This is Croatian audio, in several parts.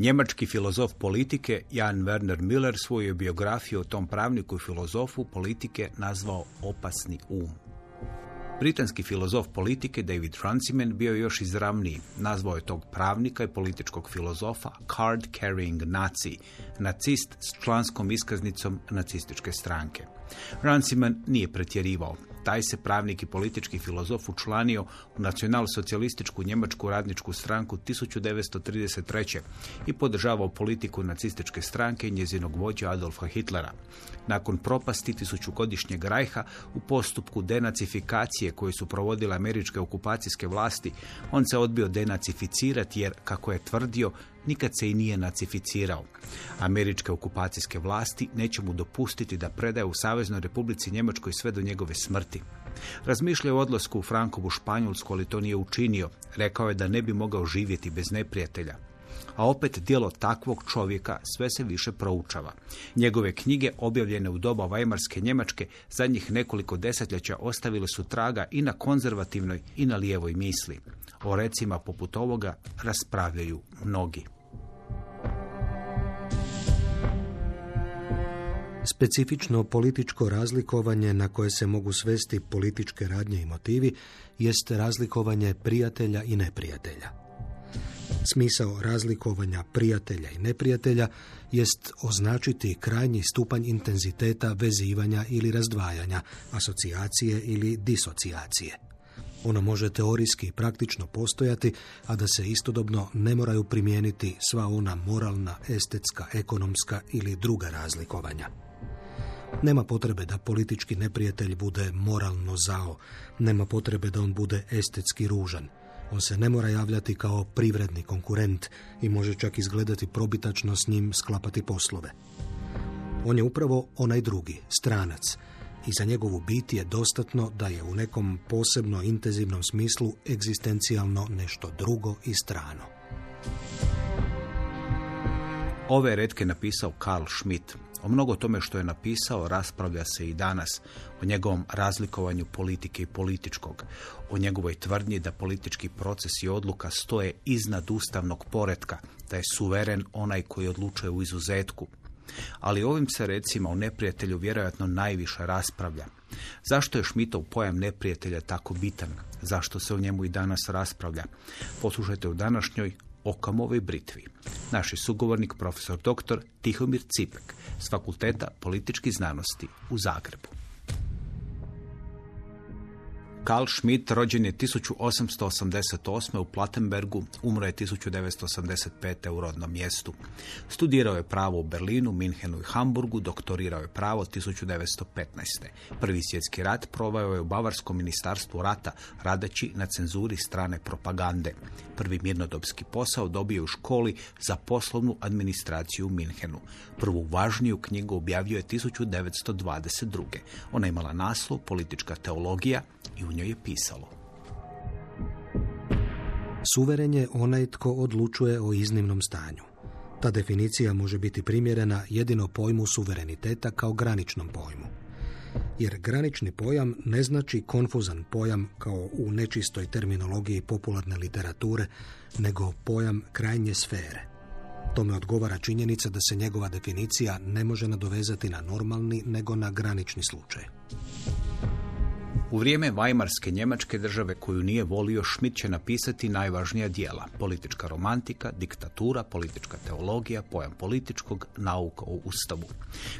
Njemački filozof politike Jan Werner Müller svoju je biografiju o tom pravniku i filozofu politike nazvao opasni um. Britanski filozof politike David Runciman bio je još izravniji. Nazvao je tog pravnika i političkog filozofa card-carrying nazi, nacist s članskom iskaznicom nacističke stranke. Runciman nije pretjerivao. Taj se pravnik i politički filozof učlanio u nacionalsocijalističku njemačku radničku stranku 1933. i podržavao politiku nacističke stranke i njezinog vođa Adolfa Hitlera. Nakon propasti tisućugodišnjeg rajha u postupku denacifikacije koje su provodile američke okupacijske vlasti, on se odbio denacificirati jer, kako je tvrdio, nikad se i nije nacificirao. Američke okupacijske vlasti neće mu dopustiti da predaje u Saveznoj Republici Njemačkoj sve do njegove smrti. Razmišljao o odlasku u Frankovu Španjolsku, ali to nije učinio. Rekao je da ne bi mogao živjeti bez neprijatelja. A opet djelo takvog čovjeka sve se više proučava. Njegove knjige, objavljene u doba Vajmarske Njemačke, zadnjih nekoliko desetljeća ostavile su traga i na konzervativnoj i na lijevoj misli. O recima poput ovoga raspravljaju mnogi. Specifično političko razlikovanje na koje se mogu svesti političke radnje i motivi jest razlikovanje prijatelja i neprijatelja. Smisao razlikovanja prijatelja i neprijatelja jest označiti krajnji stupanj intenziteta vezivanja ili razdvajanja, asocijacije ili disocijacije. Ono može teorijski i praktično postojati, a da se istodobno ne moraju primijeniti sva ona moralna, estetska, ekonomska ili druga razlikovanja. Nema potrebe da politički neprijatelj bude moralno zao, nema potrebe da on bude estetski ružan. On se ne mora javljati kao privredni konkurent i može čak izgledati probitačno s njim sklapati poslove. On je upravo onaj drugi, stranac, i za njegovu bit je dostatno da je u nekom posebno intenzivnom smislu egzistencijalno nešto drugo i strano. Ove retke napisao Carl Schmitt. O mnogo tome što je napisao raspravlja se i danas, o njegovom razlikovanju politike i političkog, o njegovoj tvrdnji da politički proces i odluka stoje iznad ustavnog poretka, da je suveren onaj koji odlučuje u izuzetku. Ali ovim se recima o neprijatelju vjerojatno najviše raspravlja. Zašto je Schmittov pojam neprijatelja tako bitan? Zašto se o njemu i danas raspravlja? Poslušajte u današnjoj Okamovoj britvi. Naš je sugovornik profesor dr. Tihomir Cipek s Fakulteta političkih znanosti u Zagrebu. Carl Schmitt rođen je 1888. u Plattenbergu, umro je 1985. u rodnom mjestu. Studirao je pravo u Berlinu, Minhenu i Hamburgu, doktorirao je pravo 1915. Prvi svjetski rat proveo je u Bavarskom ministarstvu rata, radeći na cenzuri strane propagande. Prvi mirnodopski posao dobio je u školi za poslovnu administraciju u Minhenu. Prvu važniju knjigu objavio je 1922. Ona je imala naslov Politička teologija i u njoj je pisalo: Suveren je onaj tko odlučuje o iznimnom stanju. Ta definicija može biti primjerena jedino pojmu suvereniteta kao graničnom pojmu. Jer granični pojam ne znači konfuzan pojam kao u nečistoj terminologiji popularne literature, nego pojam krajnje sfere. Tome odgovara činjenica da se njegova definicija ne može nadovezati na normalni, nego na granični slučaj. U vrijeme Vajmarske Njemačke države koju nije volio, Schmitt će napisati najvažnija djela: Politička romantika, diktatura, politička teologija, pojam političkog, nauka o Ustavu.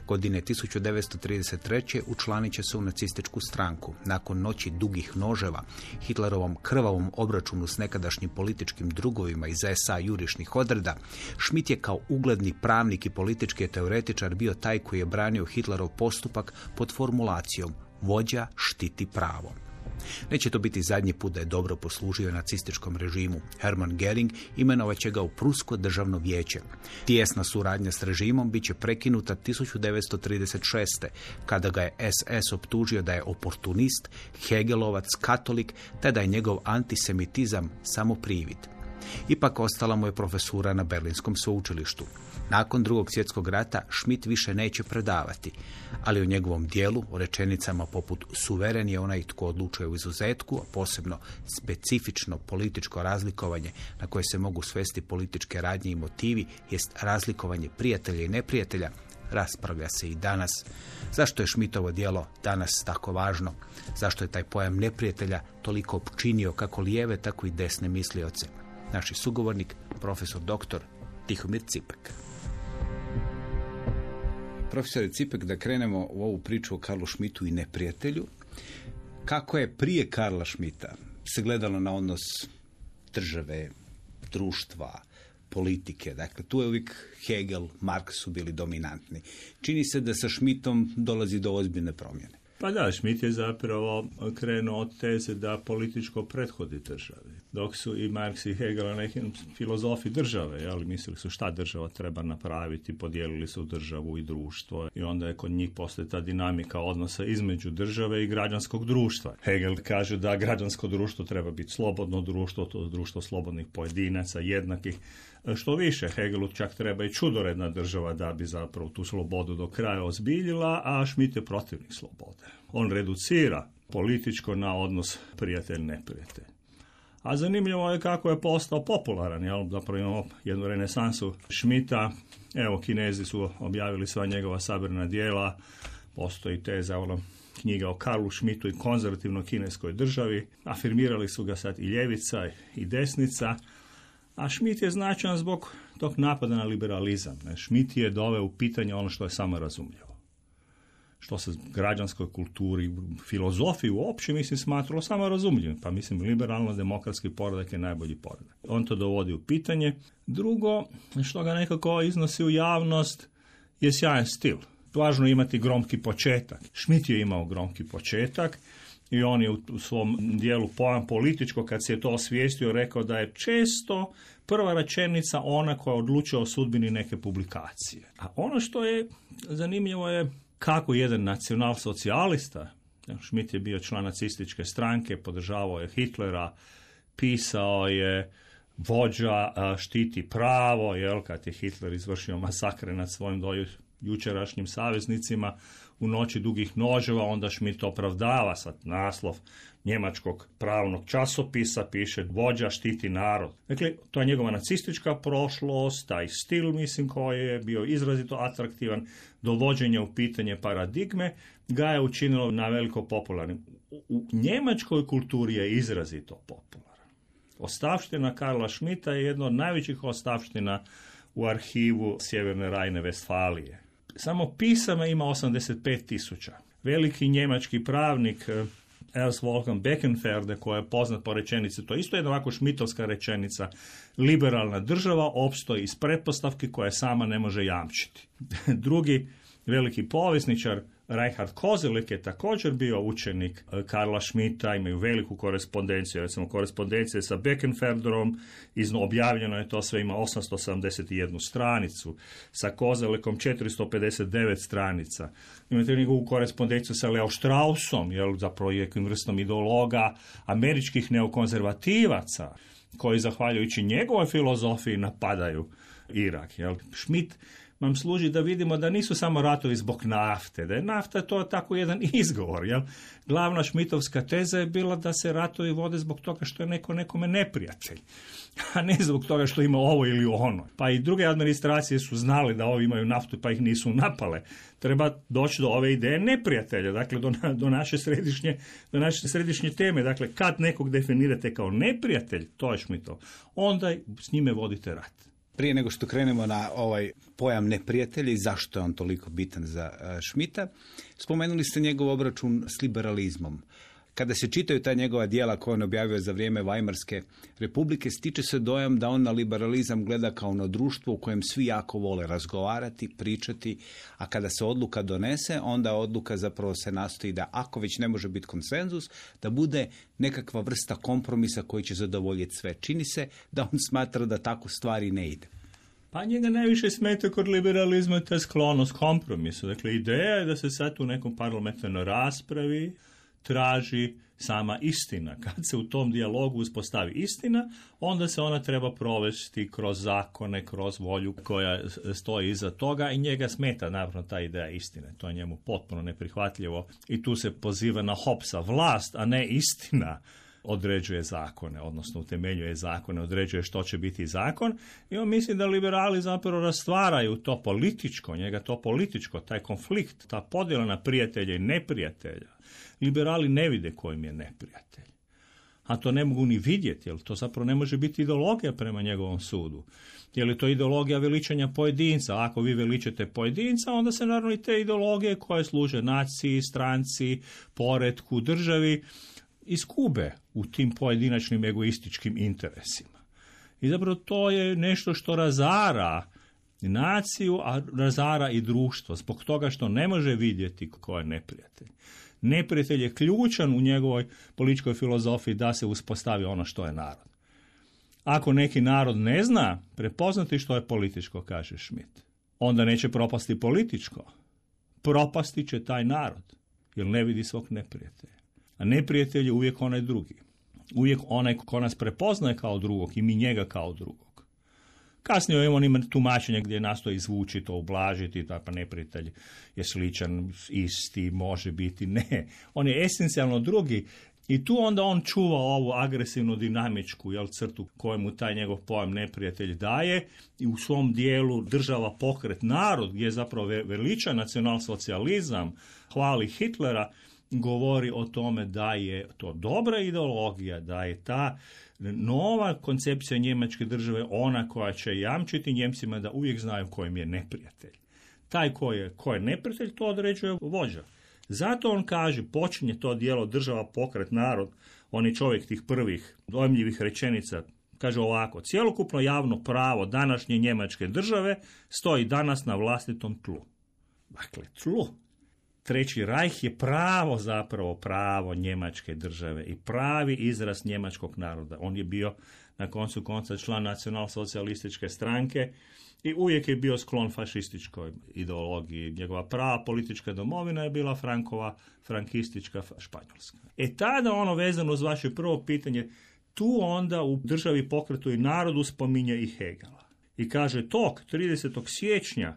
Godine 1933. učlanit će se u nacističku stranku. Nakon noći dugih noževa, Hitlerovom krvavom obračunu s nekadašnjim političkim drugovima iz SA jurišnih odreda, Schmitt je kao ugledni pravnik i politički teoretičar bio taj koji je branio Hitlerov postupak pod formulacijom: vođa štiti pravo. Neće to biti zadnji put da je dobro poslužio nacističkom režimu. Hermann Göring imenovat će ga u Prusko državno vijeće. Tijesna suradnja s režimom bit će prekinuta 1936. kada ga je SS optužio da je oportunist, hegelovac, katolik, te da je njegov antisemitizam samo privid. Ipak ostala mu je profesura na Berlinskom sveučilištu. Nakon Drugog svjetskog rata Schmitt više neće predavati, ali o njegovom dijelu, o rečenicama poput suveren je onaj tko odlučuje u izuzetku, a posebno specifično političko razlikovanje na koje se mogu svesti političke radnje i motivi, jest razlikovanje prijatelja i neprijatelja, raspravlja se i danas. Zašto je Schmittovo djelo danas tako važno? Zašto je taj pojam neprijatelja toliko opčinio kako lijeve, tako i desne mislioce? Naš sugovornik, profesor doktor Tihomir Cipek. Profesor Cipek, da krenemo u ovu priču o Karlu Schmittu i neprijatelju. Kako je prije Karla Schmitta se gledalo na odnos države, društva, politike? Dakle, tu je uvijek Hegel, Marx su bili dominantni. Čini se da sa Schmittom dolazi do ozbiljne promjene. Pa da, Schmitt je zapravo krenuo od teze da političko prethodi državi. Dok su i Marx i Hegel neki filozofi države, ali mislili su šta država treba napraviti, podijelili su državu i društvo i onda je kod njih postoji ta dinamika odnosa između države i građanskog društva. Hegel kaže da građansko društvo treba biti slobodno društvo, to društvo slobodnih pojedinaca, jednakih. Što više, Hegelu čak treba i čudoredna država da bi zapravo tu slobodu do kraja ozbiljila, a Schmitt je protivnik slobode. On reducira političko na odnos prijatelj-neprijatelj. A zanimljivo je kako je postao popularan, jel? Zapravo imamo jednu renesansu Schmitta. Evo, Kinezi su objavili sva njegova sabrana djela, postoji teza, knjiga o Karlu Schmittu i konzervativnoj kineskoj državi. Afirmirali su ga sad i ljevica i desnica, a Schmitt je značajan zbog tog napada na liberalizam. Schmitt je doveo u pitanje ono što je samo razumljivo. Što se građanskoj kulturi, filozofiji uopće, smatralo samo razumljivim. Pa liberalno-demokratski poredak je najbolji poredak. On to dovodi u pitanje. Drugo, što ga nekako iznosi u javnost, je sjajan stil. Važno je imati gromki početak. Schmitt je imao gromki početak i on je u svom dijelu pojam političko, kad se je to osvijestio, rekao da je često prva rečenica ona koja odlučuje o sudbini neke publikacije. A ono što je zanimljivo je kako jedan nacionalsocijalista, Schmitt je bio član nacističke stranke, podržavao je Hitlera, pisao je vođa štiti pravo, kad je Hitler izvršio masakre nad svojim jučerašnjim saveznicima u noći dugih noževa, onda Schmitt opravdava sad naslov njemačkog pravnog časopisa, piše vođa štiti narod. Dakle, to je njegova nacistička prošlost, taj stil, koji je bio izrazito atraktivan, dovođenje u pitanje paradigme, ga je učinilo na veliko popularnim. U njemačkoj kulturi je izrazito popularan. Ostavština Karla Schmitta je jedna od najvećih ostavština u arhivu Sjeverne Rajne-Vestfalije. Samo pisama ima 85.000. Veliki njemački pravnik Ernst Wolfgang Beckenferde, koja je poznat po rečenici, to je isto jedna ovako šmitovska rečenica, liberalna država opstoji iz pretpostavki koje sama ne može jamčiti. Drugi veliki povjesničar Reinhard Koselleck je također bio učenik Karla Schmitta, imaju veliku korespondenciju, recimo korespondencije sa Beckenferderom, objavljeno je to sve, ima 871 stranicu, sa Koselleckom 459 stranica. Imate njegovu korespondenciju sa Leo Straussom, zapravo je vrstom ideologa američkih neokonzervativaca, koji zahvaljujući njegovoj filozofiji napadaju Irak. Schmitt nam služi da vidimo da nisu samo ratovi zbog nafte, da je nafta to tako jedan izgovor. Glavna šmitovska teza je bila da se ratovi vode zbog toga što je neko nekome neprijatelj, a ne zbog toga što ima ovo ili ono. Pa i druge administracije su znali da ovi imaju naftu pa ih nisu napale. Treba doći do ove ideje neprijatelja, dakle do naše središnje teme. Dakle, kad nekog definirate kao neprijatelj, to je Schmittov, onda s njime vodite rat. Prije nego što krenemo na ovaj pojam neprijatelja i zašto je on toliko bitan za Schmitta, spomenuli ste njegov obračun s liberalizmom. Kada se čitaju ta njegova djela koje on objavio za vrijeme Weimarske republike, stiče se dojam da on na liberalizam gleda kao na društvo u kojem svi jako vole razgovarati, pričati, a kada se odluka donese, onda odluka zapravo se nastoji da, ako već ne može biti konsenzus, da bude nekakva vrsta kompromisa koji će zadovoljiti sve. Čini se da on smatra da tako stvari ne ide. Pa njega najviše smeta kod liberalizma je ta sklonost kompromisu. Dakle, ideja je da se sad u nekom parlamentarnoj raspravi traži sama istina. Kad se u tom dijalogu uspostavi istina, onda se ona treba provesti kroz zakone, kroz volju koja stoji iza toga i njega smeta naravno ta ideja istine. To je njemu potpuno neprihvatljivo i tu se poziva na Hobbesa. Vlast, a ne istina, određuje zakone, odnosno utemeljuje zakone, određuje što će biti zakon i on misli da liberali zapravo rastvaraju to političko, njega to političko, taj konflikt, ta podjela na prijatelja i neprijatelja. Liberali ne vide kojim je neprijatelj. A to ne mogu ni vidjeti, jer to zapravo ne može biti ideologija prema njegovom sudu. Je li to ideologija veličanja pojedinca? Ako vi veličate pojedinca, onda se naravno i te ideologije koje služe naciji, stranci, poretku, državi, iskube u tim pojedinačnim egoističkim interesima. I zapravo to je nešto što razara naciju, a razara i društvo, zbog toga što ne može vidjeti ko je neprijatelj. Neprijatelj je ključan u njegovoj političkoj filozofiji da se uspostavi ono što je narod. Ako neki narod ne zna prepoznati što je političko, kaže Schmitt, onda neće propasti političko. Propasti će taj narod, jer ne vidi svog neprijatelja. A neprijatelj je uvijek onaj drugi. Uvijek onaj ko nas prepoznaje kao drugog i mi njega kao drugog. Kasnije on ima tumačenje gdje nastoji izvući to, ublažiti, pa neprijatelj je sličan, isti, može biti, ne. On je esencijalno drugi i tu onda on čuva ovu agresivnu dinamičku crtu kojemu taj njegov pojam neprijatelj daje i u svom dijelu država, pokret, narod, gdje je zapravo veliča nacionalsocijalizam, hvali Hitlera, govori o tome da je to dobra ideologija, da je ta nova koncepcija njemačke države ona koja će jamčiti Njemcima da uvijek znaju kojim je neprijatelj. Taj ko je neprijatelj, to određuje vođa. Zato on kaže, počinje to dijelo država, pokret, narod, on je čovjek tih prvih dojmljivih rečenica, kaže ovako: cjelokupno javno pravo današnje njemačke države stoji danas na vlastitom tlu. Dakle, tlu. Treći Rajh je pravo njemačke države i pravi izraz njemačkog naroda. On je bio na koncu konca član nacionalsocijalističke stranke i uvijek je bio sklon fašističkoj ideologiji. Njegova prava politička domovina je bila frankistička Španjolska. Tada ono vezano uz vaše prvo pitanje, tu onda u državi, pokretu i narodu spominje i Hegela. I kaže, tog 30. siječnja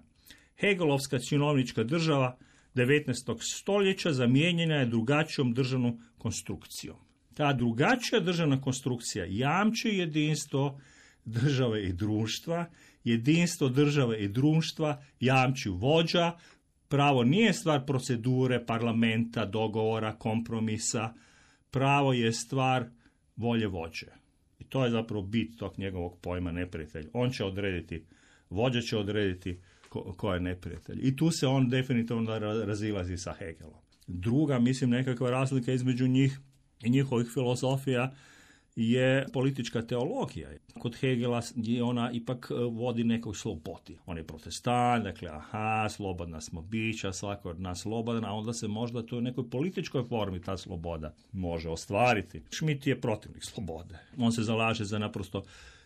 Hegelovska činovnička država 19. stoljeća zamijenjena je drugačijom državnom konstrukcijom. Ta drugačija državna konstrukcija jamči jedinstvo države i društva, jedinstvo države i društva jamči vođa, pravo nije stvar procedure, parlamenta, dogovora, kompromisa, pravo je stvar volje vođe. I to je zapravo bit tog njegovog pojma neprijatelj. On će odrediti, vođa će odrediti ko je neprijatelj. I tu se on definitivno razilazi sa Hegelom. Druga, mislim, nekakva razlika između njih i njihovih filozofija je politička teologija. Kod Hegela ona ipak vodi nekoj slobodi. On je protestant, dakle, slobodna smo bića, svako od nas slobodan, a onda se možda to u nekoj političkoj formi ta sloboda može ostvariti. Schmitt je protivnik slobode. On se zalaže za naprosto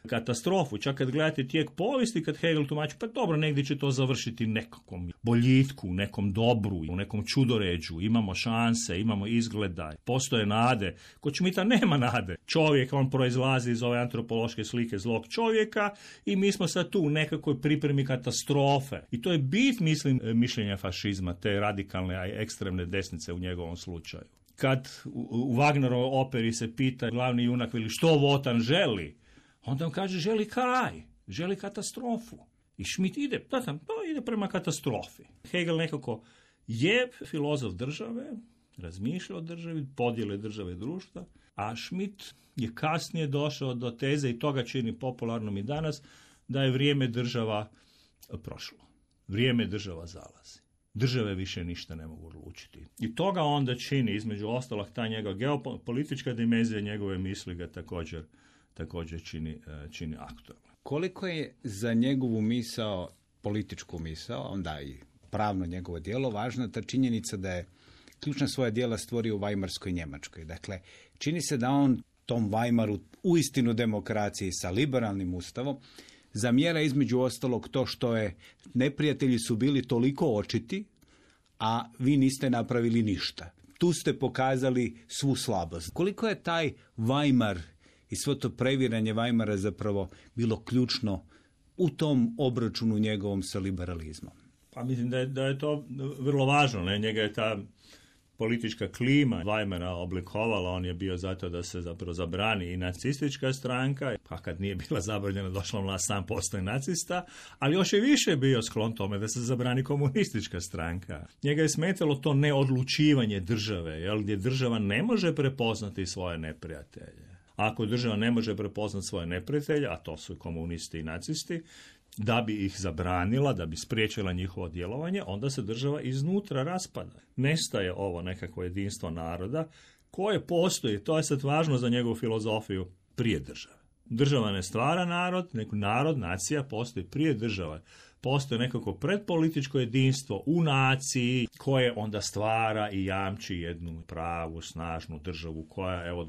katastrofu. Čak kad gledate tijek povijesti, kad Hegel tumači, pa dobro, negdje će to završiti nekakvom boljitku, nekom dobru, u nekom čudoređu, imamo šanse, imamo izgleda, postoje nade. Kod Schmitta nema nade. Čovjek, on proizlazi iz ove antropološke slike zlog čovjeka i mi smo sad tu u nekakvoj pripremi katastrofe. I to je bit, mislim, mišljenja fašizma, te radikalne, a ekstremne desnice u njegovom slučaju. Kad u Wagnerovoj operi se pita glavni junak, veli, što Wotan želi? Onda on kaže, želi kraj, želi katastrofu. I Schmitt ide prema katastrofi. Hegel nekako je filozof države, razmišlja o državi, podjele države i društva, a Schmitt je kasnije došao do teze, i toga čini popularnom i danas, da je vrijeme država prošlo. Vrijeme država zalazi. Države više ništa ne mogu odlučiti. I toga onda čini, između ostalog, ta njegova geopolitička dimenzija njegove misli ga također čini aktualno. Koliko je za njegovu misao, političku misao, onda i pravno njegovo djelo, važna ta činjenica da je ključna svoja djela stvorio u Vajmarskoj Njemačkoj. Dakle, čini se da on tom Vajmaru, uistinu demokraciji sa liberalnim ustavom, zamjera između ostalog to što je neprijatelji su bili toliko očiti, a vi niste napravili ništa. tu ste pokazali svu slabost. Koliko je taj Weimar i svo to previranje Weimara zapravo bilo ključno u tom obračunu njegovom sa liberalizmom? Pa mislim da je to vrlo važno. Ne? Njega je ta politička klima Weimara oblikovala, on je bio zato da se zapravo zabrani i nacistička stranka, pa kad nije bila zabranjena došla vlast sam postoji nacista, ali još je više bio sklon tome da se zabrani komunistička stranka. Njega je smetalo to neodlučivanje države, jel, gdje država ne može prepoznati svoje neprijatelje. Ako država ne može prepoznati svoje neprijatelje, a to su komunisti i nacisti, da bi ih zabranila, da bi spriječila njihovo djelovanje, onda se država iznutra raspada. Nestaje ovo nekakvo jedinstvo naroda koje postoji, to je sad važno za njegovu filozofiju, prije države. Država ne stvara narod, nacija postoji prije države. Postoji nekako predpolitičko jedinstvo u naciji koje onda stvara i jamči jednu pravu, snažnu državu koja evo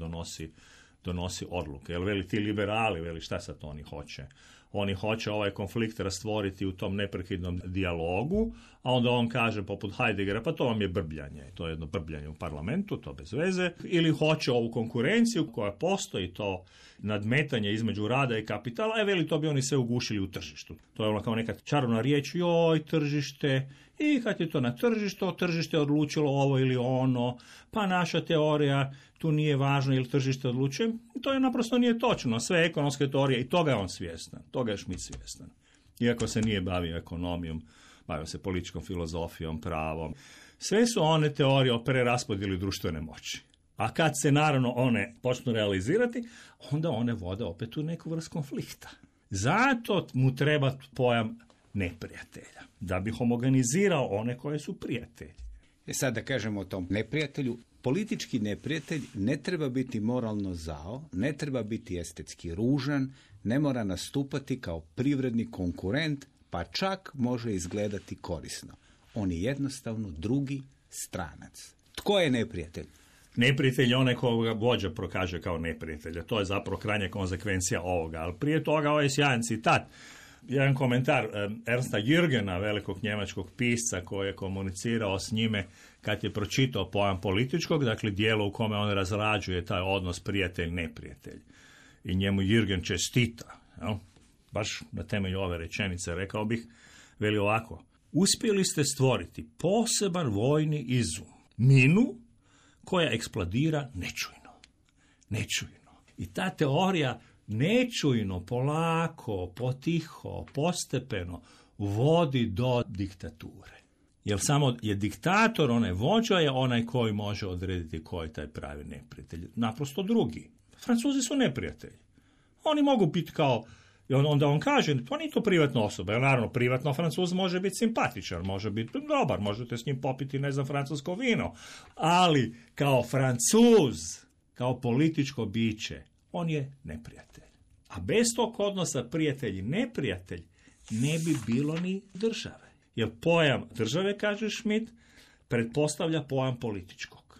donosi odluke. Jel veli ti liberali, veli šta sad oni hoće? Oni hoće ovaj konflikt rastvoriti u tom neprekidnom dijalogu, a onda on kaže poput Heideggera, pa to vam je brbljanje. To je jedno brbljanje u parlamentu, to bez veze. Ili hoće ovu konkurenciju koja postoji, to nadmetanje između rada i kapitala, veli to bi oni sve ugušili u tržištu. To je ono kao neka čarobna riječ, joj, tržište, i kad je to na tržištu, tržište je odlučilo ovo ili ono, pa naša teorija tu nije važna ili tržište odlučuje. To je naprosto nije točno. Sve ekonomske teorije, i toga je on svjestan, toga je Schmitt svjestan. Iako se nije bavio ekonomijom, bavio se političkom filozofijom, pravom. Sve su one teorije o preraspodjeli društvene moći. A kad se naravno one počnu realizirati, onda one vode opet u neku vrstu konflikta. Zato mu treba pojam neprijatelja, da bi homogenizirao one koje su prijatelji. Sad da kažemo o tom neprijatelju, politički neprijatelj ne treba biti moralno zao, ne treba biti estetski ružan, ne mora nastupati kao privredni konkurent, pa čak može izgledati korisno. On je jednostavno drugi stranac. Tko je neprijatelj? Neprijatelj je onaj koga vođa prokaže kao neprijatelja. To je zapravo krajnja konsekvencija ovoga. Ali prije toga ovaj sjajan citat. Jedan komentar Ernsta Jürgena, velikog njemačkog pisca koji je komunicirao s njime kad je pročitao pojam političkog, dakle dijelo u kome on razrađuje taj odnos prijatelj-neprijatelj. I njemu Jürgen čestita. Jel? Baš na temelju ove rečenice rekao bih, veli ovako: uspjeli ste stvoriti poseban vojni izum, minu koja eksplodira nečujno. I ta teorija nečujno, polako, potiho, postepeno vodi do diktature. Jer samo je diktator, onaj vođa je onaj koji može odrediti koji je taj pravi neprijatelj. Naprosto drugi. Francuzi su neprijatelji. Oni mogu biti kao, i onda on kaže, to nije to privatna osoba. Jer naravno, privatno Francuz može biti simpatičan, može biti dobar, možete s njim popiti, francusko vino. Ali kao Francuz, kao političko biće, on je neprijatelj. A bez tog odnosa prijatelj i neprijatelj ne bi bilo ni države. Jer pojam države, kaže Schmitt, pretpostavlja pojam političkog.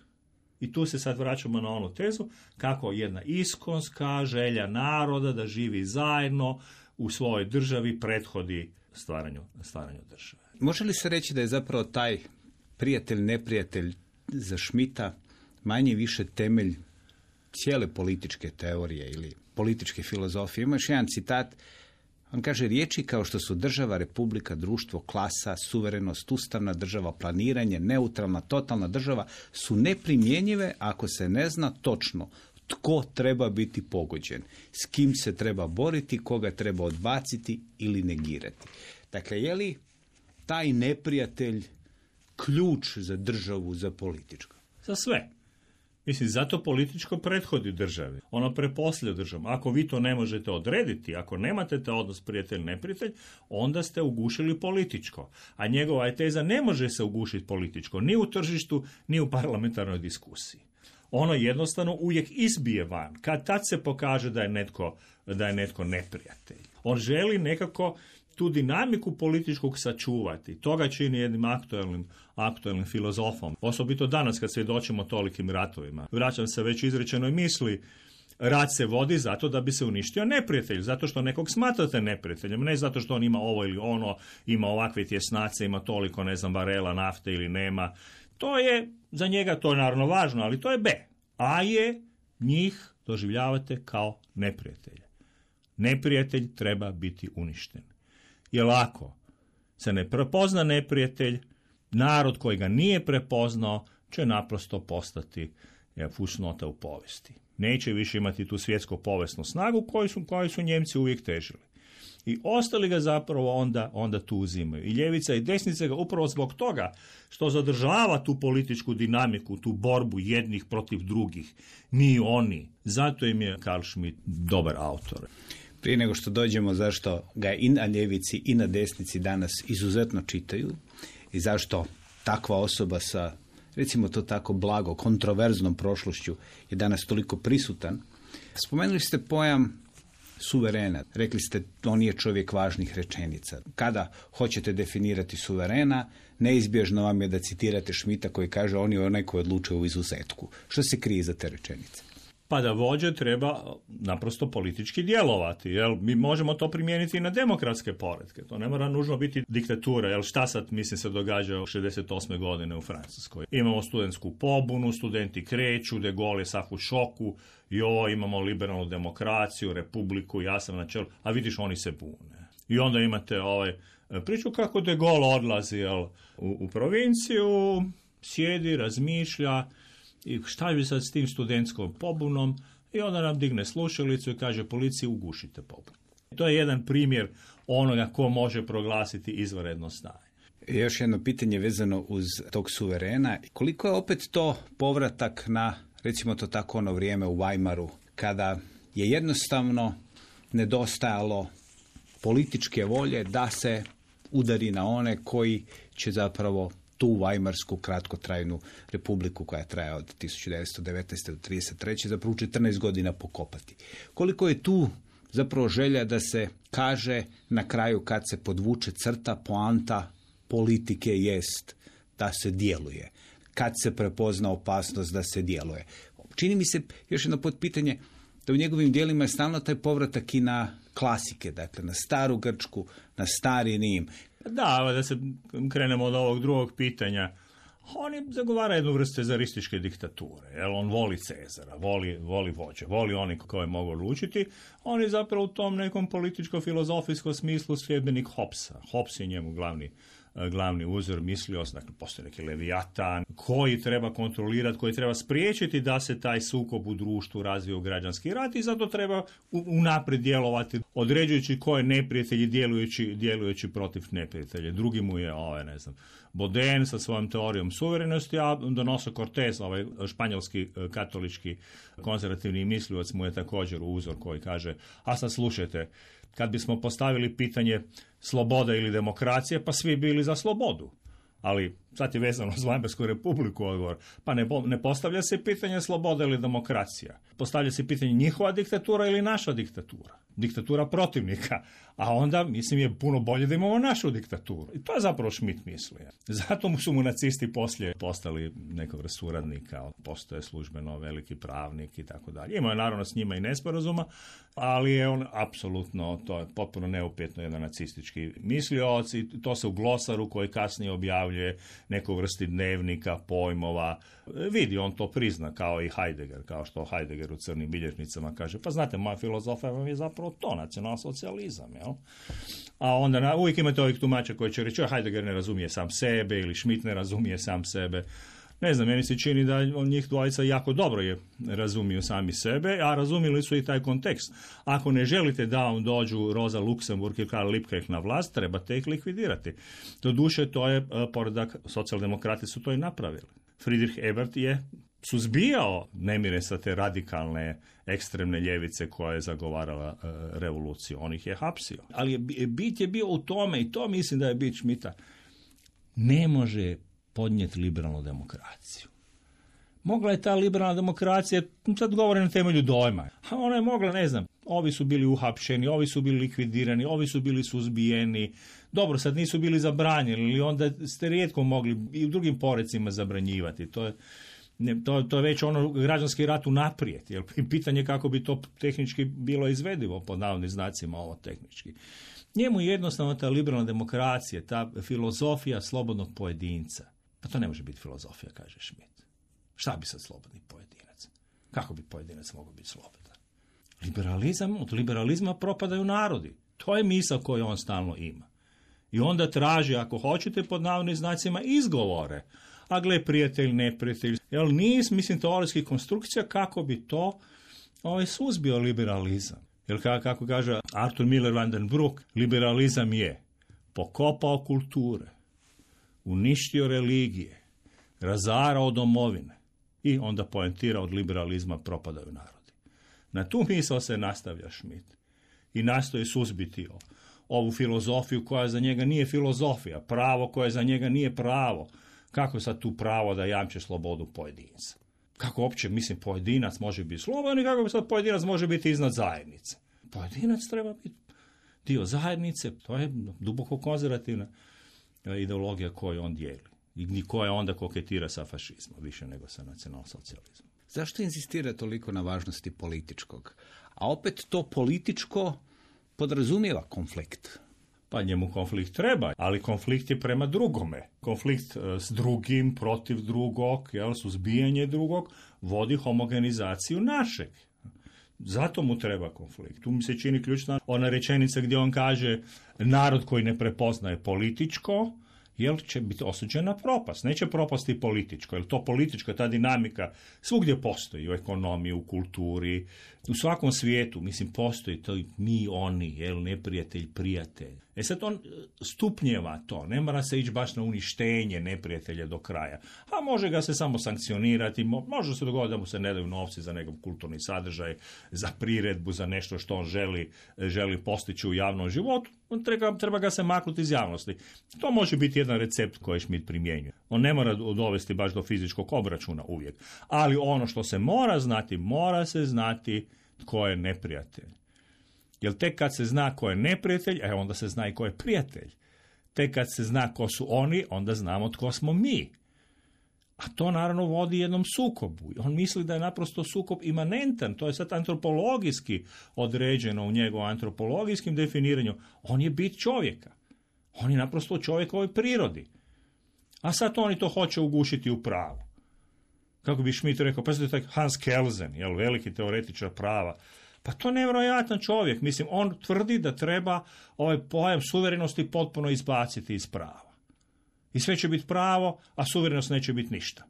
I tu se sad vraćamo na onu tezu kako jedna iskonska želja naroda da živi zajedno u svojoj državi prethodi stvaranju države. Može li se reći da je zapravo taj prijatelj-neprijatelj za Schmidta manje više temelj cijele političke teorije ili političke filozofije? Ima još jedan citat, on kaže: riječi kao što su država, republika, društvo, klasa, suverenost, ustavna država, planiranje, neutralna, totalna država su neprimjenjive ako se ne zna točno tko treba biti pogođen, s kim se treba boriti, koga treba odbaciti ili negirati. Dakle, je li taj neprijatelj ključ za državu, za političko? Za sve. Mislim, zato političko prethodi državi. Ono preposlije državu. Ako vi to ne možete odrediti, ako nemate taj odnos prijatelj-neprijatelj, onda ste ugušili političko. A njegova je teza: ne može se ugušiti političko, ni u tržištu, ni u parlamentarnoj diskusiji. Ono jednostavno uvijek izbije van. Kad tad se pokaže da je netko neprijatelj. On želi nekako tu dinamiku političkog sačuvati. Toga čini jednim aktualnim filozofom. Osobito danas kad svjedočimo tolikim ratovima. Vraćam se već izrečenoj misli. Rat se vodi zato da bi se uništio neprijatelj, zato što nekog smatrate neprijateljem, ne zato što on ima ovo ili ono, ima ovakve tjesnace, ima toliko, barela nafte ili nema. To je, za njega to je naravno važno, ali to je B. A je, njih doživljavate kao neprijatelje. Neprijatelj treba biti uništen. Jer ako se ne prepozna neprijatelj, narod koji ga nije prepoznao će naprosto postati fusnota u povijesti. Neće više imati tu svjetsku povijesnu snagu koju su Njemci uvijek težili. I ostali ga zapravo onda tu uzimaju. I ljevica i desnica ga upravo zbog toga što zadržava tu političku dinamiku, tu borbu jednih protiv drugih. Mi oni. Zato im je Carl Schmitt dobar autor. Prije nego što dođemo zašto ga i na ljevici i na desnici danas izuzetno čitaju i zašto takva osoba sa, recimo to tako blago, kontroverznom prošlošću je danas toliko prisutan, spomenuli ste pojam suverena. Rekli ste, on je čovjek važnih rečenica. Kada hoćete definirati suverena, neizbježno vam je da citirate Schmidta koji kaže on je onaj koji odlučuje u izuzetku. Što se krije za te rečenice? Pa da vođe treba naprosto politički djelovati. Jel? Mi možemo to primijeniti i na demokratske poretke. To ne mora nužno biti diktatura. Jel? Šta sad, mislim, se događa 68. godine u Francuskoj? Imamo studentsku pobunu, studenti kreću, De Gaulle je sav u šoku, imamo liberalnu demokraciju, republiku, ja sam na čelu, a vidiš, oni se bune. I onda imate priču kako De Gaulle odlazi u provinciju, sjedi, razmišlja, i šta bi sad s tim studentskom pobunom, i onda nam digne slušalicu i kaže policiji ugušite pobunu. To je jedan primjer onoga ko može proglasiti izvanredno stanje. Još jedno pitanje vezano uz tog suverena. Koliko je opet to povratak na, recimo to tako, ono vrijeme u Weimaru, kada je jednostavno nedostajalo političke volje da se udari na one koji će zapravo tu Weimarsku kratkotrajnu republiku koja traje od 1919. do 1933. zapravo 14 godina pokopati. Koliko je tu zapravo želja da se kaže na kraju kad se podvuče crta, poanta politike jest da se djeluje. Kad se prepozna opasnost da se djeluje. Čini mi se, još jedno potpitanje, da u njegovim djelima je stalno taj povratak i na klasike, dakle na staru Grčku, na stari Rim. Da se krenemo od ovog drugog pitanja. On zagovara jednu vrstu cezarističke diktature. Jer on voli Cezara, voli vođe, voli oni koje mogu odlučiti. On je zapravo u tom nekom političko-filozofijskom smislu sljedbenik Hobbesa. Hobbes je njemu glavni uzor misliost, dakle postoji neki Leviatan koji treba kontrolirati, koji treba spriječiti da se taj sukob u društvu razvije u građanski rat i zato treba unaprijed djelovati, određujući ko je neprijatelj i djelujući protiv neprijatelja. Drugi mu je Baudin sa svojom teorijom suverenosti, a Donoso Cortés, španjolski katolički konzervativni mislioc, mu je također uzor koji kaže, a sad slušajte, kad bismo postavili pitanje sloboda ili demokracije, pa svi bili za slobodu. Ali sad je vezano s Weimarsku republiku odgovor. Pa ne postavlja se pitanje sloboda ili demokracija. Postavlja se pitanje njihova diktatura ili naša diktatura. Diktatura protivnika. A onda, mislim, je puno bolje da imamo našu diktaturu. I to je zapravo Schmitt mislio. Zato su mu nacisti poslije postali nekog suradnika. Postoje službeno veliki pravnik i tako dalje. Imao je naravno s njima i nesporazuma, ali je on apsolutno, to je potpuno neupitno, jedan nacistički mislioc i to se u glosaru koji kasnije objavljuje neku vrsti dnevnika, pojmova. Vidi, on to prizna kao i Heidegger, kao što Heidegger u crnim bilježnicama kaže, pa znate, moja filozofija vam je zapravo to, nacionalsocijalizam, jel? A onda uvijek imate ovih tumača koji će reći, Heidegger ne razumije sam sebe ili Schmitt ne razumije sam sebe. Ne znam, meni se čini da njih dvojica jako dobro razumiju sami sebe, a razumjeli su i taj kontekst. Ako ne želite da vam dođu Rosa Luxemburg i Karl Liebknecht na vlast, trebate ih likvidirati. Doduše, to je poredak, socijaldemokrati su to i napravili. Friedrich Ebert je suzbijao nemire sa te radikalne ekstremne ljevice koja je zagovarala revoluciju. On ih je hapsio. Ali bit je bio u tome, i to mislim da je bit Schmidta, ne može podnijeti liberalnu demokraciju. Mogla je ta liberalna demokracija, sad govorim na temelju dojma, a ona je mogla, ne znam, ovi su bili uhapšeni, ovi su bili likvidirani, ovi su bili suzbijeni, dobro, sad nisu bili zabranjeni, ili onda ste rijetko mogli i u drugim porecima zabranjivati. To je već ono građanski rat unaprijed, jer pitanje kako bi to tehnički bilo izvedivo, pod navodnim znacima ovo tehnički. Njemu jednostavno ta liberalna demokracija, ta filozofija slobodnog pojedinca Pa to ne može biti filozofija, kaže Schmitt. Šta bi sad slobodni pojedinac? Kako bi pojedinac mogao biti slobodan? Od liberalizma propadaju narodi. To je misao koju on stalno ima. I onda traži, ako hoćete, pod navodnim znacima izgovore. A gle, prijatelj, neprijatelj. Jel niz, teorijskih konstrukcija kako bi to suzbio liberalizam. Jer kako kaže Arthur Miller van den Broek, liberalizam je pokopao kulture, uništio religije, razarao domovine i onda poentira od liberalizma propadaju narodi. Na tu misao se nastavlja Schmitt i nastoji suzbiti ovu filozofiju koja za njega nije filozofija, pravo koje za njega nije pravo. Kako sad tu pravo da jamče slobodu pojedinca? Kako uopće, pojedinac može biti slobodan i kako sad pojedinac može biti iznad zajednice? Pojedinac treba biti dio zajednice, to je duboko konzervativna ideologija koju on dijeli i koja onda koketira sa fašizmom, više nego sa nacionalsocijalizmom. Zašto insistira toliko na važnosti političkog? A opet to političko podrazumijeva konflikt. Pa njemu konflikt treba, ali konflikt je prema drugome. Konflikt s drugim, protiv drugog, suzbijanje drugog, vodi homogenizaciju našeg. Zato mu treba konflikt. Tu mi se čini ključna ona rečenica gdje on kaže narod koji ne prepoznaje političko, će biti osuđen na propast. Neće propasti političko, jer to politička, ta dinamika svugdje postoji, u ekonomiji, u kulturi, u svakom svijetu, postoji to mi, oni, neprijatelj, prijatelj. Sad on stupnjeva to, ne mora se ići baš na uništenje neprijatelja do kraja, a može ga se samo sankcionirati, može se dogoditi da mu se ne daju novci za nekakav kulturni sadržaj, za priredbu, za nešto što on želi postići u javnom životu, treba ga se maknuti iz javnosti. To može biti jedan recept koji Schmitt primjenjuje. On ne mora dovesti baš do fizičkog obračuna uvijek, ali ono što se mora se znati tko je neprijatelj. Jer tek kad se zna ko je neprijatelj, onda se zna i ko je prijatelj. Tek kad se zna ko su oni, onda znamo tko smo mi. A to naravno vodi jednom sukobu. On misli da je naprosto sukob imanentan. To je sad antropologijski određeno u njegovom antropologijskim definiranju. On je bit čovjeka. On je naprosto u čovjekovoj prirodi. A sad oni to hoće ugušiti u pravu. Kako bi Schmitt rekao, pa taj Hans Kelsen, veliki teoretičar prava, pa to je nevjerojatan čovjek. On tvrdi da treba ovaj pojam suverenosti potpuno izbaciti iz prava. I sve će biti pravo, a suverenost neće biti ništa.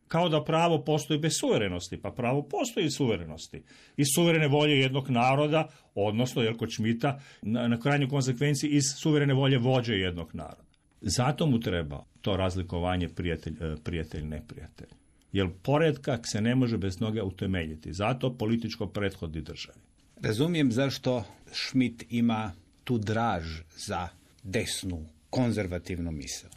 Kao da pravo postoji bez suverenosti, pa pravo postoji iz suverenosti. Iz suverene volje jednog naroda, odnosno, kod Schmidta, na krajnjoj konsekvenciji iz suverene volje vođe jednog naroda. Zato mu treba to razlikovanje prijatelj-neprijatelj. Jer poredak se ne može bez noge utemeljiti. Zato političko prethodi državi. Razumijem zašto Schmitt ima tu draž za desnu, konzervativnu misao.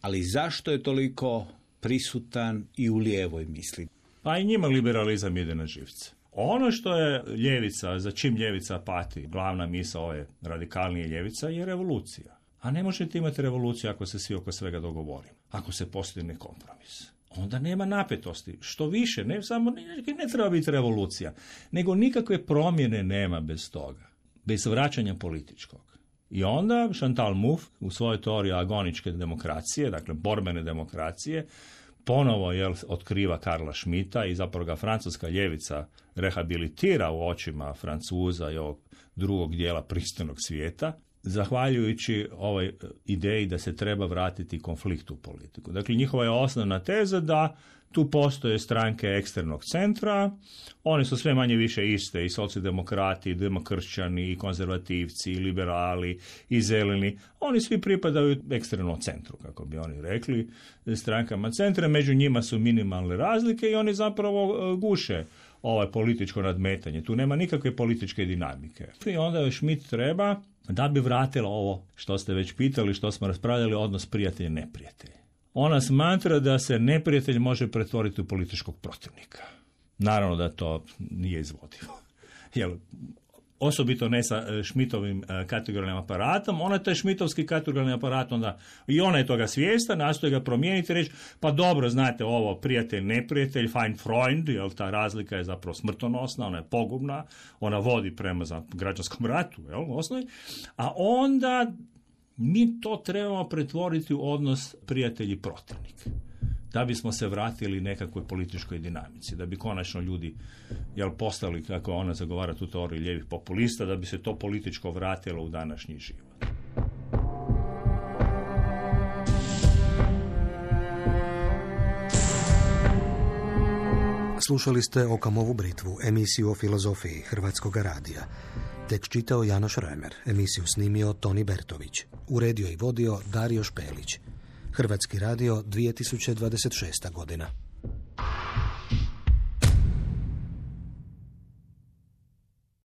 Ali zašto je toliko prisutan i u lijevoj misli? Pa i njima liberalizam ide na živce. Ono što je ljevica, za čim ljevica pati, glavna misao ove radikalnije ljevica je revolucija. A ne možete imati revoluciju ako se svi oko svega dogovorimo. Ako se postigne kompromis. Onda nema napetosti. Što više, ne treba biti revolucija, nego nikakve promjene nema bez toga. Bez vraćanja političkog. I onda Chantal Mouffe u svojoj teoriji agoničke demokracije, dakle borbene demokracije, ponovo otkriva Karla Schmidta i zapravo ga francuska ljevica rehabilitira u očima Francuza i ovog drugog dijela pristojnog svijeta, zahvaljujući ovoj ideji da se treba vratiti konflikt u politiku. Dakle, njihova je osnovna teza da tu postoje stranke ekstremnog centra, one su sve manje više iste, i socijaldemokrati, i demokršćani, i konzervativci, i liberali, i zeleni. Oni svi pripadaju ekstremnom centru, kako bi oni rekli, strankama centra. Među njima su minimalne razlike i oni zapravo guše političko nadmetanje. Tu nema nikakve političke dinamike. I onda još Schmitt treba da bi vratila ovo što ste već pitali, što smo raspravljali, odnos prijatelj-neprijatelj. Ona smatra da se neprijatelj može pretvoriti u političkog protivnika. Naravno da to nije izvodivo. Osobito ne sa Schmittovim kategorijalnim aparatom. Ona je taj Schmittovski kategorijalni aparat, onda i ona je toga svijesta, nastoji ga promijeniti i reći, pa dobro, znate ovo, prijatelj, neprijatelj, fein Freund, ta razlika je zapravo smrtonosna, ona je pogubna, ona vodi prema građanskom ratu, osnovi. A onda Mi to trebamo pretvoriti u odnos prijatelji-protivnik, da bismo se vratili nekakvoj političkoj dinamici, da bi konačno ljudi postali, kako ona zagovara tu teoriju lijevih populista, da bi se to političko vratilo u današnji život. Slušali ste Okamovu britvu, emisiju o filozofiji Hrvatskog radija. Tekst čitao Janoš Remer, emisiju snimio Toni Bertović, uredio i vodio Dario Špelić. Hrvatski radio, 2026. godina.